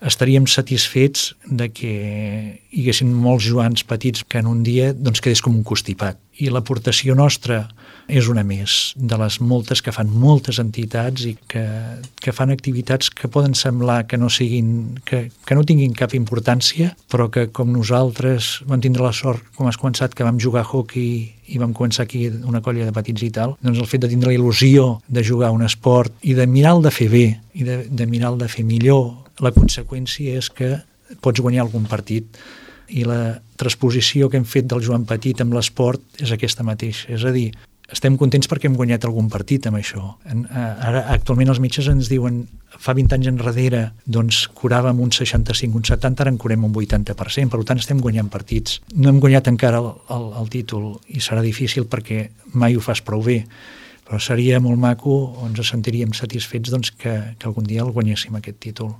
estaríem satisfets de que hi haguessin molts Joans petits que en un dia doncs, quedés com un constipat. I l'aportació nostra és una més de les moltes que fan moltes entitats i que fan activitats que poden semblar que no siguin, que no tinguin cap importància, però que com nosaltres vam tindre la sort, com has començat, que vam jugar a hockey i vam començar aquí una colla de petits i tal, doncs el fet de tindre la il·lusió de jugar a un esport i de mirar el de fer bé i de mirar el de fer millor, la conseqüència és que pots guanyar algun partit. I la transposició que hem fet del Joan Petit amb l'esport és aquesta mateixa. És a dir, estem contents perquè hem guanyat algun partit amb això. Ara, actualment els metges ens diuen fa 20 anys enrere doncs curàvem un 65, un 70, ara en curem un 80%, per tant estem guanyant partits. No hem guanyat encara el títol i serà difícil perquè mai ho fas prou bé, però seria molt maco, ens sentiríem satisfets doncs, que algun dia el guanyéssim aquest títol.